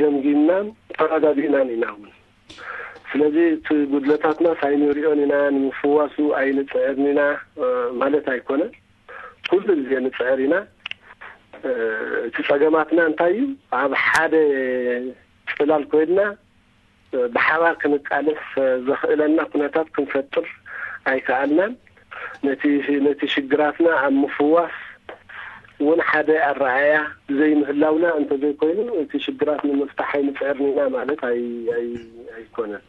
ገምጊምናን ተረዳዲእናን ኢና እውን። ስለዚ እቲ ጉድለታትና ሳይንሪኦን ኢና፣ ንምፍዋሱ ኣይንጽዕርን ኢና፣ እ፣ ማለት ኣይኮነን። ኩሉ ግዜ ንጽዕር ኢና። እ፣ እቲ ጸገማትና እንታይ እዩ? ኣብ ሓደ ጽላል ኮይንና፣ እ፣ ብሓባር ክንቃለስ፣ እ፣ ዘኽእለና ኩነታት ክንፈጥር ኣይከኣልናን። ነቲ፣ ነቲ ሽግራትና ኣብ ምፍዋስ እውን ሓደ ኣረኣእያ ዘይምህላውና እንተዘይኮይኑ፣ እቲ ሽግራት ንምፍታሕ ኣይንጽዕርን ኢና ማለት ኣይ-፣ ኣይ-፣ ኣይኮነን።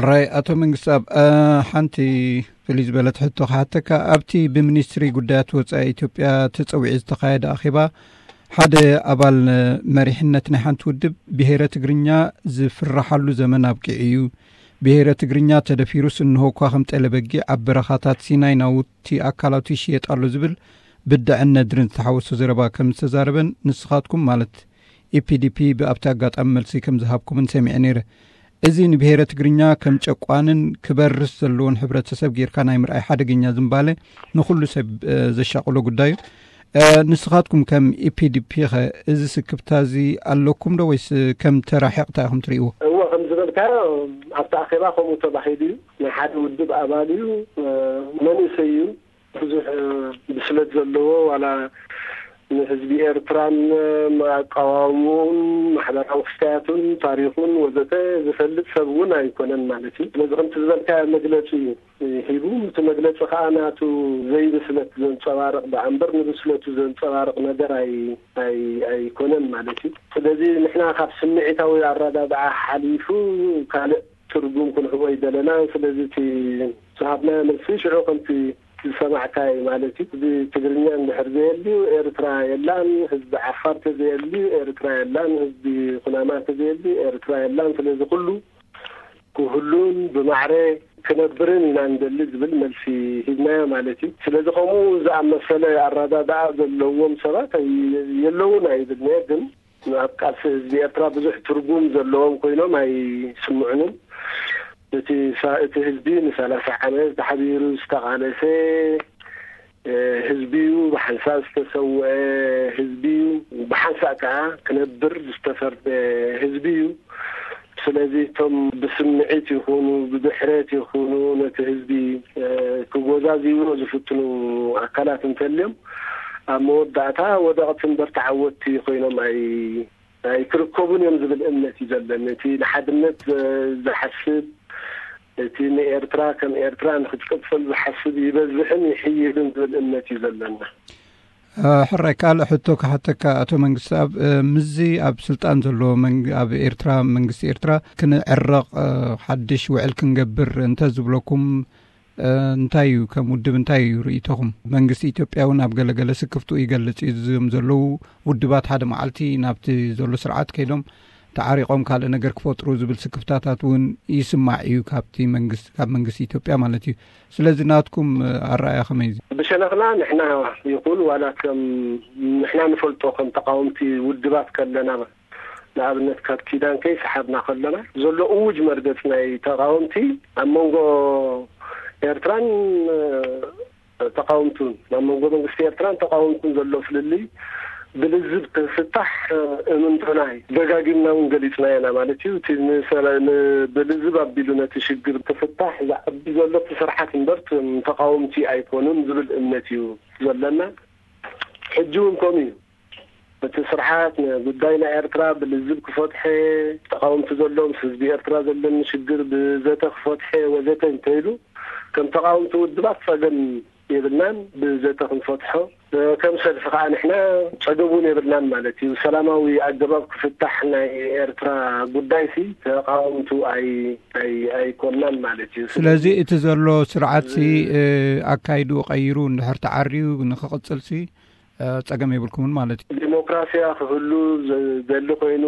ራይ ኣቶ መንግስትኣብ፣ እ፣ ሓንቲ ፍልይ ዝበለት ሕቶ ክሓተካ። ኣብቲ ብሚኒስትሪ ጉዳያት ወጻኢ ኢትዮጵያ ተጸዊዑ ዝተኻየደ ኣኼባ፣ ሓደ ኣባል መሪሕነት ናይ ሓንቲ ውድብ፣ ብሄረ ትግርኛ ዝፍረሓሉ ዘመን ኣብቂዑ እዩ። ብሄረ ትግርኛ ተደፊሩስ እንሆ እኳ ከም ጠለ በጊዕ ኣብ በረኻታት ሲናይ ናውቲ ኣካላቱ ይሽየጥ ኣሎ ዝብል ብድዐን ነድርን ዝተሓወሶ ዘረባ ከም ዝተዛረበን ንስኻትኩም ማለት ኢፒዲፒ ብኣብቲ ኣጋጣሚ መልሲ ከም ዝሃብኩምን ሰሚዐ ነይረ። እዚ ንብሄረ ትግርኛ ከም ጨቋንን ክበርስ ዘለዎን ሕብረተሰብ ጌርካ ናይ ምርኣይ ሓደገኛ ዝንባለ ንኹሉ ሰብ፣ እ፣ ዘሻቕሎ ጉዳይ እዩ። እ፣ ንስኻትኩም ከም ኢፒዲፒ ኸ እዚ ስክፍታ እዚ ኣለኩም ዶ ወይስ ከም ተራ ሒቕታ ኢኹም ትርእይዎ? እወ፣ ከም ዝበልካዮ ኣብቲ ኣኼባ ከምኡ ተባሂሉ እዩ። ናይ ሓደ ውድብ ኣባል እዩ፣ እ፣ መንእሰይ እዩ። ብዙሕ፣ እ፣ ብስለት ዘለዎ ዋላ ንህዝቢ ኤርትራን ኣቃዋምኡን ማሕበራዊ ክስታያቱን ታሪኹን ወዘተ ዝፈልጥ ሰብ እውን ኣይኮነን ማለት እዩ። ስለዚ ከምቲ ዝበልካዮ መግለጺ እዩ ሂቡ። እቲ መግለጺ ከኣ ናቱ ዘይብስለት ዘንጸባርቕ ደኣ እምበር ንብስለቱ ዘንጸባርቕ ነገር ኣይ-፣ ኣይ-፣ ኣይኮነን ማለት እዩ። ስለዚ ንሕና ካብ ስምዒታዊ ኣረዳድኣ ሓሊፉ ካልእ ትርጉም ክንህቦ ኣይደለናን። ስለዚ እቲ ዝሃብናዮ መልሲ ሽዑ ከምቲ ዝሰማዕካይ ማለት እዩ። እዚ ትግርኛ እንድሕር ዘየልዩ ኤርትራ የላን፣ ህዝቢ ዓፋር ተዘየልዩ ኤርትራ የላን፣ ህዝቢ ኩናማ ተዘየልዩ ኤርትራ የላን። ስለዚ ኩሉ ክህሉን ብማዕረ ክነብርን ኢና ንደሊ ዝብል መልሲ ሂብናዮ ማለት እዩ። ስለዚ ከምኡ ዝኣመሰለ ኣረዳድኣ ዘለዎም ሰባት ኣይ-፣ የለውን ኣይብልን'የ፣ ግን ኣብ ቃልሲ ህዝቢ ኤርትራ ብዙሕ ትርጉም ዘለዎም ኮይኖም ኣይስምዑንን። እቲ ሳ-፣ እቲ ህዝቢ ንሰላሳ ዓመት ተሓቢሩ ዝተቓለሰ፣ እ፣ ህዝቢ እዩ፣ ብሓንሳእ ዝተሰውአ ህዝቢ እዩ፣ ብሓንሳእ ከኣ ክነብር ዝተፈርደ ህዝቢ እዩ። ስለዚ እቶም ብስምዒት ይኹኑ ብድሕረት ይኹኑ ነቲ ህዝቢ፣ እ፣ ክጎዛዝይዎ ዝፍትኑ ኣካላት እንተልዮም፣ ኣብ መወዳእታ ወደቕቲ እምበር ተዓወትቲ ኮይኖም ኣይ-፣ ኣይክርከቡን እዮም ዝብል እምነት እዩ ዘለኒ። እቲ ንሓድነት፣ እ፣ ዝሓስብ፣ እቲ ንኤርትራ ከም ኤርትራ ንክትቅጽል ዝሓስብ ይበዝሕን ይሕይልን ዝብል እምነት እዩ ዘለና። እ፣ ሕራይ፣ ካልእ ሕቶ ክሓተካ ኣቶ መንግስትኣብ፣ እ፣ ምስዚ ኣብ ስልጣን ዘሎ መንግ-፣ ኣብ ኤርትራ፣ መንግስቲ ኤርትራ ክንዕረቕ፣ እ፣ ሓድሽ ውዕል ክንገብር እንተ ዝብለኩም፣ እ፣ እንታይ እዩ፣ ከም ውድብ እንታይ እዩ ርእይቶኹም? መንግስቲ ኢትዮጵያ እውን ኣብ ገለገለ ስክፍትኡ ይገልጽ እዩ። እዞም ዘለዉ ውድባት ሓደ መዓልቲ ናብቲ ዘሎ ስርዓት ከይዶም ተዓሪቖም ካልእ ነገር ክፈጥሩ ዝብል ስክፍታታት እውን ይስማዕ እዩ ካብቲ መንግስቲ፣ ካብ መንግስቲ ኢትዮጵያ ማለት እዩ። ስለዚ ናትኩም፣ እ፣ ኣረኣእያ ከመይ እዩ? ብሸነኽና ንሕና ይኹን ዋላ ከም ንሕና ንፈልጦ ከም ተቃወምቲ ውድባት ከለና፣ ንኣብነት ካብ ኪዳን ከይሰሓብና ከለና ዘሎ እውጅ መርገጽ ናይ ተቃወምቲ ኣብ መንጎ ኤርትራን፣ እ፣ ተቃወምቱን፣ ናብ መንጎ መንግስቲ ኤርትራን ተቃወምቱን ዘሎ ፍልልይ ብልዝብ ክፍታሕ፣ እ፣ እምንቶና እዩ። ደጋጊምና እውን ገሊጽና ኢና ማለት እዩ። እቲ ንሰላ-፣ ን-፣ ብልዝብ ኣቢሉ ነቲ ሽግር ክፍታሕ ዝዓቢ ዘሎ እቲ ስርዓት እምበር እቶም ተቃወምቲ ኣይኮኑን ዝብል እምነት እዩ ዘለና። ሕጂ እውን ከምኡ እዩ። እቲ ስርዓት ንጉዳይ ናይ ኤርትራ ብልዝብ ክፈትሐ፣ ተቃወምቲ ዘሎ ምስ ህዝቢ ኤርትራ ዘለኒ ሽግር ብዘተ ክፈትሐ ወዘተ እንተኢሉ፣ ከም ተቃወምቲ ውድባት ጸገም የብልናን፣ ብዘተ ክንፈትሖ። ከም ሰልፊ ከኣ ንሕና ጸገም እውን የብልናን ማለት እዩ። ሰላማዊ ኣገባብ ክፍታሕ ናይ ኤርትራ ጉዳይሲ ተቃወምቱ ኣይ-፣ ኣይ-፣ ኣይኮንናን ማለት እዩ። ስለዚ እቲ ዘሎ ስርዓትሲ፣ እዚ እ፣ ኣካይድኡ ቀይሩ እንድሕር ተዓርዩ ንክቕጽልሲ፣ እ፣ ጸገም የብልኩምን ማለት እዩ። ዲሞክራሲያ ክህሉ ዝደሊ ኮይኑ፣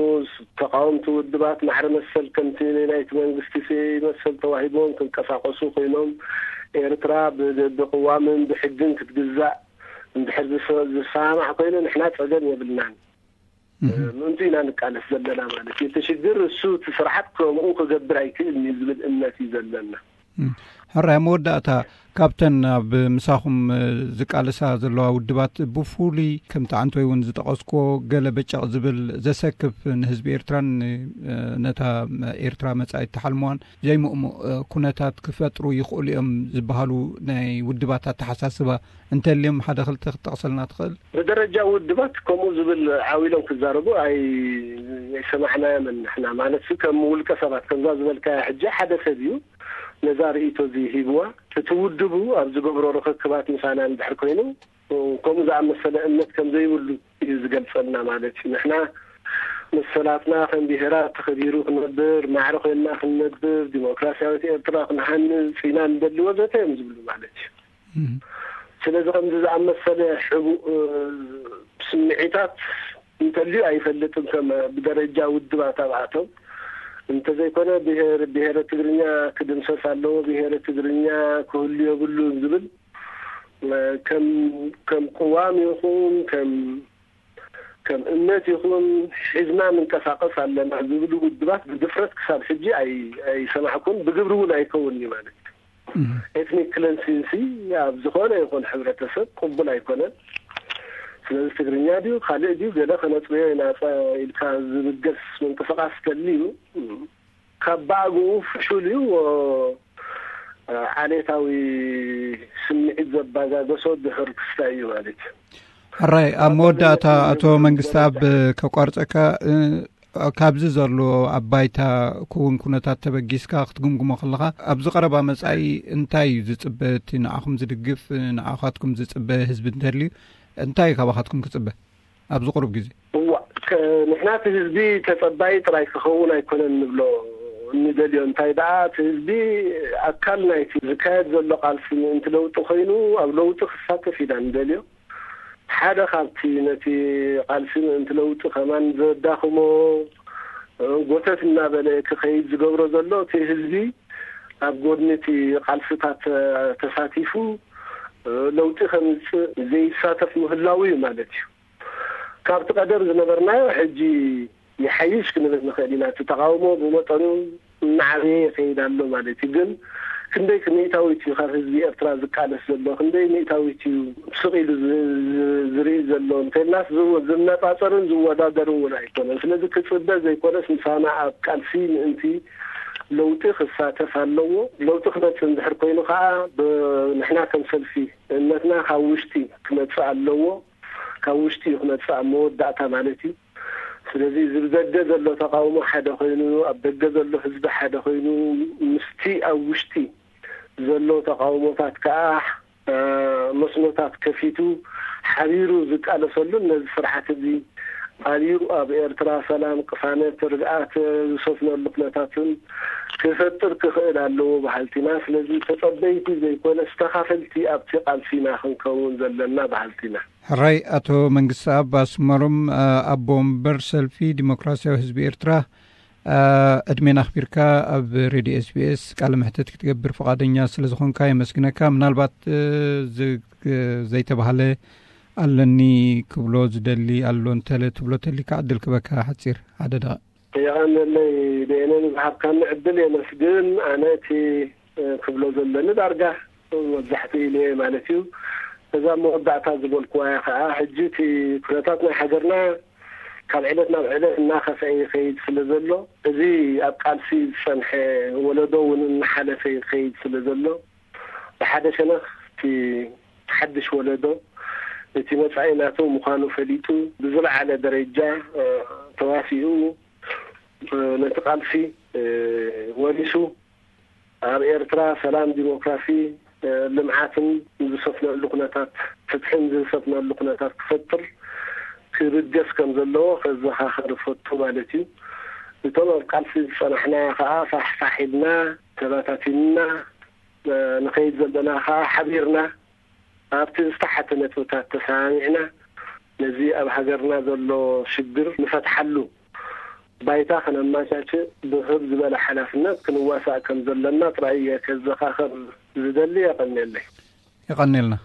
ተቃወምቲ ውድባት ማዕረ መሰል ከምቲ ናይቲ መንግስቲ መሰል ተዋሂቦም ክንቀሳቀሱ ኮይኖም፣ ኤርትራ ብ-፣ ብቅዋምን ብሕግን ክትግዛእ እንድሕር ዝሰ-፣ ዝሰማማዕ ኮይኑ ንሕና ጸገም የብልናን። እህ። ምእንቱ ኢና ንቃለስ ዘለና ማለት እዩ። እቲ ሽግር እሱ እቲ ስርዓት ከምኡ ክገብር ኣይክእልን እዩ ዝብል እምነት እዩ ዘለና። እም። ሕራይ፣ ኣብ መወዳእታ ካብተን ኣብ ምሳኹም፣ እ፣ ዝቃለሳ ዘለዋ ውድባት ብፍሉይ ከምቲ ዓንቶይ እውን ዝጠቐስክዎ ገለ በጨቕ ዝብል ዘሰክፍ ንህዝቢ ኤርትራን፣ እ፣ ነታ ኤርትራ መጻኢት ተሓልሞዋን ዘይምእሙእ፣ እ፣ ኩነታት ክፈጥሩ ይኽእሉ እዮም ዝበሃሉ ናይ ውድባት ኣተሓሳስባ እንተልዮም ሓደ ክልተ ክትጠቕሰልና ትኽእል? ብደረጃ ውድባት ከምኡ ዝብል ዓው ኢሎም ክዛረቡ ኣይ-፣ ኣይሰማዕናዮምን ንሕና። ማለት ከም ውልቀ ሰባት ከምዛ ዝበልካያ ሕጂ ሓደ ሰብ እዩ ነዛ ርእይቶ እዚ ሂብዋ። እቲ ውድቡ ኣብ ዝገብሮ ርኽክባት ምሳና እንድሕር ኮይኑ ከምኡ ዝኣመሰለ እምነት ከም ዘይብሉ እዩ ዝገልጸልና ማለት እዩ። ንሕና መሰላትና ከም ብሄራት ተኸቢሩ ክነብር፣ ማዕረ ኮይንና ክንነብር፣ ዲሞክራሲያዊት ኤርትራ ክንሃንጽ ኢና ንደሊ ወዘተ እዮም ዝብሉ ማለት እዩ። እም። ስለዚ ከምዚ ዝኣመሰለ ሕቡእ፣ እ፣ ስምዒታት እንተልዩ ኣይፈልጥን፣ ከም ብደረጃ ውድባት ኣብኣቶም እንተዘይኮነ ብሄር፣ ብሄረ ትግርኛ ክድምሰስ ኣለዎ፣ ብሄረ ትግርኛ ክህሉ የብሉን ዝብል፣ እ፣ ከም፣ ከም ቅዋም ይኹን ከም፣ ከም እምነት ይኹን ሒዝና ንንቀሳቐስ ኣለና ዝብሉ ውድባት ብድፍረት ክሳብ ሕጂ ኣይ-፣ ኣይሰማዕኩን፣ ብግብሪ እውን ኣይከውን እዩ ማለት እዩ። እም። ኤትኒክ ክለንሲንሲ ኣብ ዝኾነ ይኹን ሕብረተሰብ ቅቡል ኣይኮነን። ስለዚ ትግርኛ ድዩ ካልእ ድዩ ገለ ከነጽርዮ ኢና ጸ-፣ ኢልካ ዝብገስ ምንቅስቃስ ተልዩ፣ እም፣ ካብ ብኣግኡ ፍሹል እዩ፣ ወ-፣ ዓሌታዊ ስምዒት ዘባጋገሶ ድሑር ክስታይ እዩ ማለት እዩ። ሕራይ፣ ኣብ መወዳእታ ኣቶ መንግስቲ ኣብ ከቋርፀካ፣ እ፣ ካብዚ ዘሎ ኣብ ባይታ ክውን ኩነታት ተበጊስካ ክትግምግሞ ከለኻ፣ ኣብዚ ቀረባ መጻኢ እንታይ እዩ ዝጽበ? እቲ ንዓኹም ዝድግፍ፣ ንዓኻትኩም ዝጽበ ህዝቢ እንተልዩ፣ እንታይ እዩ ካባኻትኩም ክጽበ ኣብዚ ቁሩብ ግዜ? እዋ፣ ከ-፣ ንሕና እቲ ህዝቢ ተጸባይ ጥራይ ክኸውን ኣይኮነን ንብሎ፣ እንደልዮ። እንታይ ደኣ፣ እቲ ህዝቢ ኣካል ናይቲ ዝካየድ ዘሎ ቃልሲ ምእንቲ ለውጢ ኮይኑ፣ ኣብ ለውጢ ክሳተፍ ኢና እንደልዮ። ሓደ ካብቲ ነቲ ቃልሲ ምእንቲ ለውጢ ከማን ዘዳኽሞ፣ ጎተት እናበለ ክኸይድ ዝገብሮ ዘሎ፣ እቲ ህዝቢ ኣብ ጎድኒ እቲ ቃልስታት ተሳቲፉ ለውጢ ከምጽእ ዘይሳተፍ ምህላው እዩ ማለት እዩ። ካብቲ ቀደም ዝነበርናዮ ሕጂ ይሓይሽ ክንብል ንኽእል ኢና። እቲ ተቃውሞ ብመጠኑ እናዓበየ ይኸይድ ኣሎ ማለት እዩ። ግን ክንደይ ሚእታዊት እዩ ካብ ህዝቢ ኤርትራ ዝቃለስ ዘሎ? ክንደይ ሚእታዊት እዩ ስቕ ኢሉ ዝ-፣ ዝ-፣ ዝርኢ ዘሎ? እንተልናስ ዝወ-፣ ዝነጻጸርን ዝወዳደርን እውን ኣይኮነን። ስለዚ ክጽበ ዘይኮነስ፣ ምሳና ኣብ ቃልሲ ምእንቲ ለውጢ ክሳተፍ ኣለዎ። ለውጢ ክመጽእ እንድሕር ኮይኑ ከዓ፣ ብ-፣ ንሕና ከም ሰልፊ እምነትና ካብ ውሽጢ ክመጽእ ኣለዎ። ካብ ውሽጢ እዩ ክመጽእ ኣብ መወዳእታ ማለት እዩ። ስለዚ፣ እዚ ብደገ ዘሎ ተቃውሞ ሓደ ኮይኑ፣ ኣብ ደገ ዘሎ ህዝቢ ሓደ ኮይኑ፣ ምስቲ ኣብ ውሽጢ ዘሎ ተቃውሞታት ከዓ፣ እ፣ መስኖታት ከፊቱ ሓቢሩ ዝቃለሰሉን፣ ነዚ ስርዓት እዚ ሓቢሩ ኣብ ኤርትራ ሰላም፣ ቅሳነት፣ ርግኣት ዝሰፍነሉ ኩነታትን ክፈጥር ክኽእል ኣለዎ በሃልቲ ኢና። ስለዚ፣ ተጸበይቲ ዘይኮነስ፣ ተኻፈልቲ ኣብቲ ቃልሲ ኢና ክንከውን ዘለና በሃልቲ ኢና። ሕራይ፣ ኣቶ መንግስቲ ኣብ ኣስመሮም፣ እ፣ ኣቦ ወንበር ሰልፊ ዲሞክራሲያዊ ህዝቢ ኤርትራ፣ እ፣ ዕድሜና ኣኽቢርካ ኣብ ሬድዮ ኤስ ቢ ኤስ ቃለ መሕትት ክትገብር ፍቓደኛ ስለ ዝኾንካ የመስግነካ። ምናልባት፣ እ፣ ዝ-፣ ዘይተባህለ ኣለኒ ክብሎ ዝደሊ ኣሎ እንተለ ትብሎ ተሊካ ዕድል ክበካ ሓጺር ሓደ ደቂቕ። የቐንየለይ ደየነ ንዝሃብካኒ ዕድል የመስግን። ኣነ እቲ፣ እ፣ ክብሎ ዘለኒ ዳርጋ መብዛሕትኡ ኢለ ማለት እዩ። እዛ መወዳእታ ዝበልኩዋ እያ ከዓ፣ ሕጂ እቲ ኩነታት ናይ ሃገርና ካብ ዕለት ናብ ዕለት እናኸፍአ ይኸይድ ስለ ዘሎ፣ እዚ ኣብ ቃልሲ ዝጸንሐ ወለዶ እውን እናሓለፈ ይኸይድ ስለ ዘሎ፣ ብሓደ ሸነኽ እቲ ሓድሽ ወለዶ እቲ መጻኢ ናቱ ምዃኑ ፈሊጡ፣ ብዝለዓለ ደረጃ፣ እ፣ ተዋሲኡ፣ እ፣ ነቲ ቃልሲ፣ እ፣ ወሪሱ፣ ኣብ ኤርትራ ሰላም፣ ዲሞክራሲ፣ እ፣ ልምዓትን ዝሰፍነሉ ኩነታት፣ ፍትሕን ዝሰፍነሉ ኩነታት ክፈጥር ክብገስ ከም ዘለዎ ከዘኻኽር እፈቱ ማለት እዩ። እቶም ኣብ ቃልሲ ዝጸናሕና ከኣ ፋሕፋሕ ኢልና፣ ተበታቲንና፣ እ፣ ንኸይድ ዘለና ከኣ ሓቢርና፣ ኣብቲ ዝተሓተ ነጥብታት ተሰማሚዕና፣ ነዚ ኣብ ሃገርና ዘሎ ሽግር ንፈትሓሉ ባይታ ከነመቻችእ ብህብ ዝበለ ሓላፍነት ክንዋሳእ ከም ዘለና ጥራይ እየ ከዘኻኽር ዝደሊ። የቐንየለይ። የቐንየልና።